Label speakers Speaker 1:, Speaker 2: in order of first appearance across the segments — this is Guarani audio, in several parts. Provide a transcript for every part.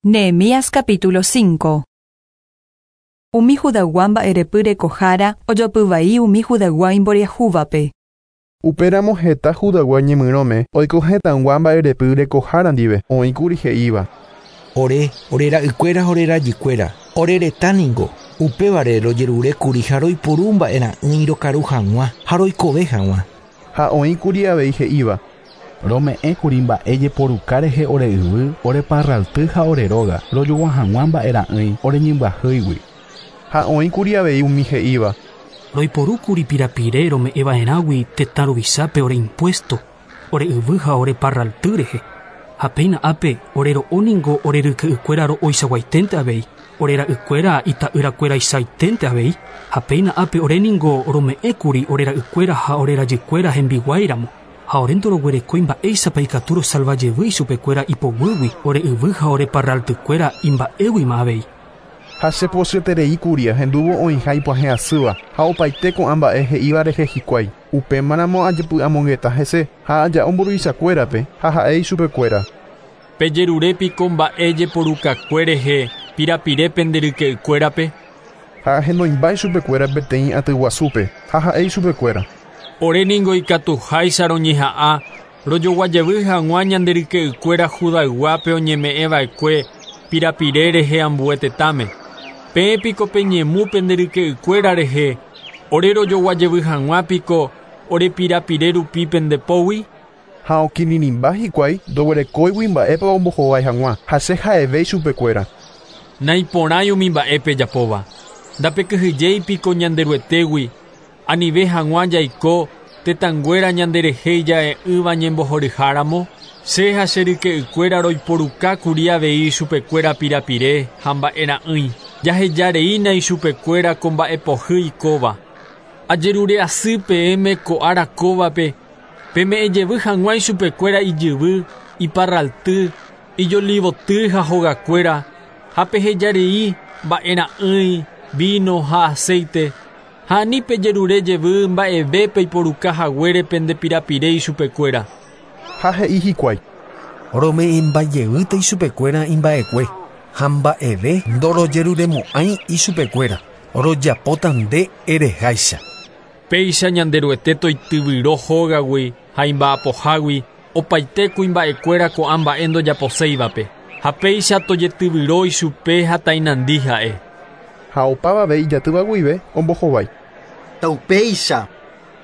Speaker 1: Nehemías capítulo 5. Umi Judaygua mba'erepy rekohára ojopy vai umi Judaygua imboriahúvape.
Speaker 2: Upéramo heta Judaygua ñemyrõme oiko hetãygua mba'erepy rekohára ndive, oĩkuri he'íva.
Speaker 3: Ore, ore ra'ykuéra ha ore rajykuéra, ore retã ningo, upévare rojerurékuri ha roiporu mba'era'ỹi rokaru hag̃ua ha roikove hag̃ua.
Speaker 2: Ha oĩkuri avei he'íva.
Speaker 4: Rome'ẽkuri mba'e jeporuka rehe ore yvy, ore parralty ha ore róga, rojogua hag̃ua mba'era'ỹi ore ñembyahýigui.
Speaker 2: Ha oĩkuri avei umi he'íva.
Speaker 5: Roiporúkuri pirapire rome'ẽva'erãgui tetã ruvichápe ore impuesto, ore yvy ha ore parralty rehe. Ha péina ápe ore ro'o ningo ore ryke'ykuéra ro'oichaguaiténte avei, ore ra'ykuéra ita'yrakueraichaiténte avei, ha péina ápe ore ningo rome'ẽkuri ore ra'ykuéra ha ore rajykuéra hembiguáiramo, ha ore ndoroguerekói mba'éichapa ikatu rosalva jevy ichupekuéra ipoguýgui, ore yvy ha ore parraltykuéra imba'éguima avei.
Speaker 2: Ha che pochyeterei kuri ahendúvo oĩha ipyahẽ asýva ha opaite ko'ã mba'e he'íva rehe hikuái. Upémaramo ajepy'amongeta hese ha aja'o mburuvichakuérape ha ha'e ichupekuéra.
Speaker 6: Pejerure piko mba'e jeporukakue rehe pirapire pende ryke'ykuérape?
Speaker 2: Ha ahenoimba ichupekuéra peteĩ aty guasúpe ha ha'e ichupekuéra.
Speaker 6: Ore ningo ikatuháicha roñeha'ã rojoguajevy hag̃ua ñande ryke'ykuéra Judayguápe oñeme'ẽva'ekue pirapire rehe ambue tetãme. Peẽ piko peñemu pende ryke'ykuéra rehe, ore rojoguajevy hag̃ua piko ore pirapire rupi pende pógui?
Speaker 2: Ha okirirĩmba hikuái ndoguerekóigui mba'épa ombohovái hag̃ua ha che ha'eve ichupekuéra.
Speaker 6: Naiporãi umi mba'e pejapóva. Ndapekyhyjéi piko Ñanderuetégui, anive hag̃ua jaiko tetãnguéra ñanderehe ija'e'ỹva ñembohoryháramo, che ha che ryke'ykuéra roiporukákuri avei ichupekuéra pirapire ha mba'era'ỹi. Jahejareína ichupekuéra ko mba'epohýi kóva. Ajerure asy peẽme ko ára kóvape, peme'ẽjevy hag̃ua ichupekuéra ijyvy, iparralty, ijolivoty ha hogakuéra, ha pehejarei mba'era'ỹi, vino ha aceite, ha ani pejerure jevy mba'eve peiporuka haguére pende pirapire ichupekuéra.
Speaker 2: Ha he'i hikuái.
Speaker 3: Rome'ẽmbajevýta ichupekuéra imba'ekue, ha mba'eve ndorojeruremo'ãi ichupekuéra, rojapóta nde ereháicha.
Speaker 6: Péicha Ñanderuete toityvyro hógagui ha imba'apohágui opaite kuimba'ekuéra ko'ã mba'e ndojaposéivape, ha péicha tojetyvyro ichupe ha tainandi ha'e.
Speaker 2: Ha opavave ijatýva guive ombohovái.
Speaker 7: Taupéicha.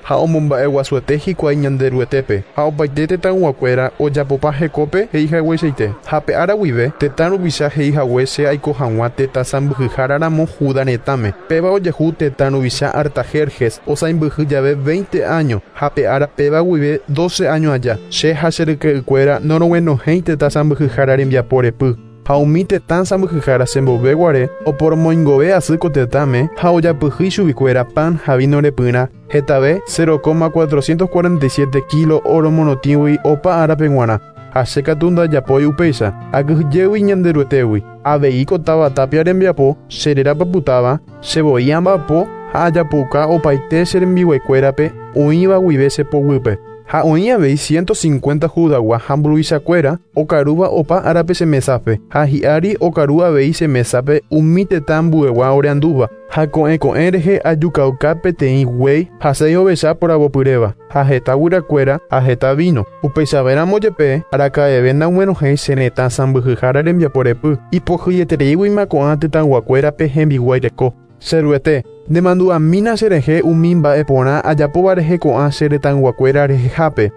Speaker 2: Ha omomba'eguasuete hikuái Ñanderuetépe ha opaite tetãyguakuéra ojapopa hekópe he'ihagueichaite. Ha pe ára guive tetã ruvicha he'ihague che aiko hag̃ua tetã sãmbyhyháraramo Judá retãme. Péva ojehu tetã ruvicha Artajerjes osãimbyhy jave 20 áño ha pe ára péva guive 12 áño aja. Che ha che ryke'ykuéra noroguenohẽi tetã sãmbyhyhára rembiapo repy. Ha umi tetã sãmbyhyhára chemboveguare oporomoingove asy ko tetãme ha ojapyhy chuguikuéra pan ha vino repyrã hetave 0,447 kilo oro morotĩgui opa árape g̃uarã. Ha che katu ndajapói upéicha, akyhyjégui Ñanderuetégui. Avei ko táva tapia rembiapo che rérapapytáva, che voi amba'apo ha ajapouka opaite che rembiguaikuérape oĩva guive che poguýpe. Ha oĩ avei 150 Judaygua ha mburuvichakuéra okarúva opa árape che mesápe, ha hi'ári okaru avei che mesápe umi tetã ambuegua oreandúva, ha ko'ẽ ko'ẽ rehe ajukauka peteĩ guéi ha seis ovecha poravopyréva, ha heta guyrakuéra ha heta vino. Upeichavéramo jepe araka'eve ndaguenohẽi che retã sãmbyhyhára rembiapo repy, ipohýietereíguima ko'ã tetãyguakuérape hembiguái reko. Che Ruete, nemandu'amína cherehe umi mba'e porã ajapóva rehe ko'ã che retãyguakuéra rehehápe.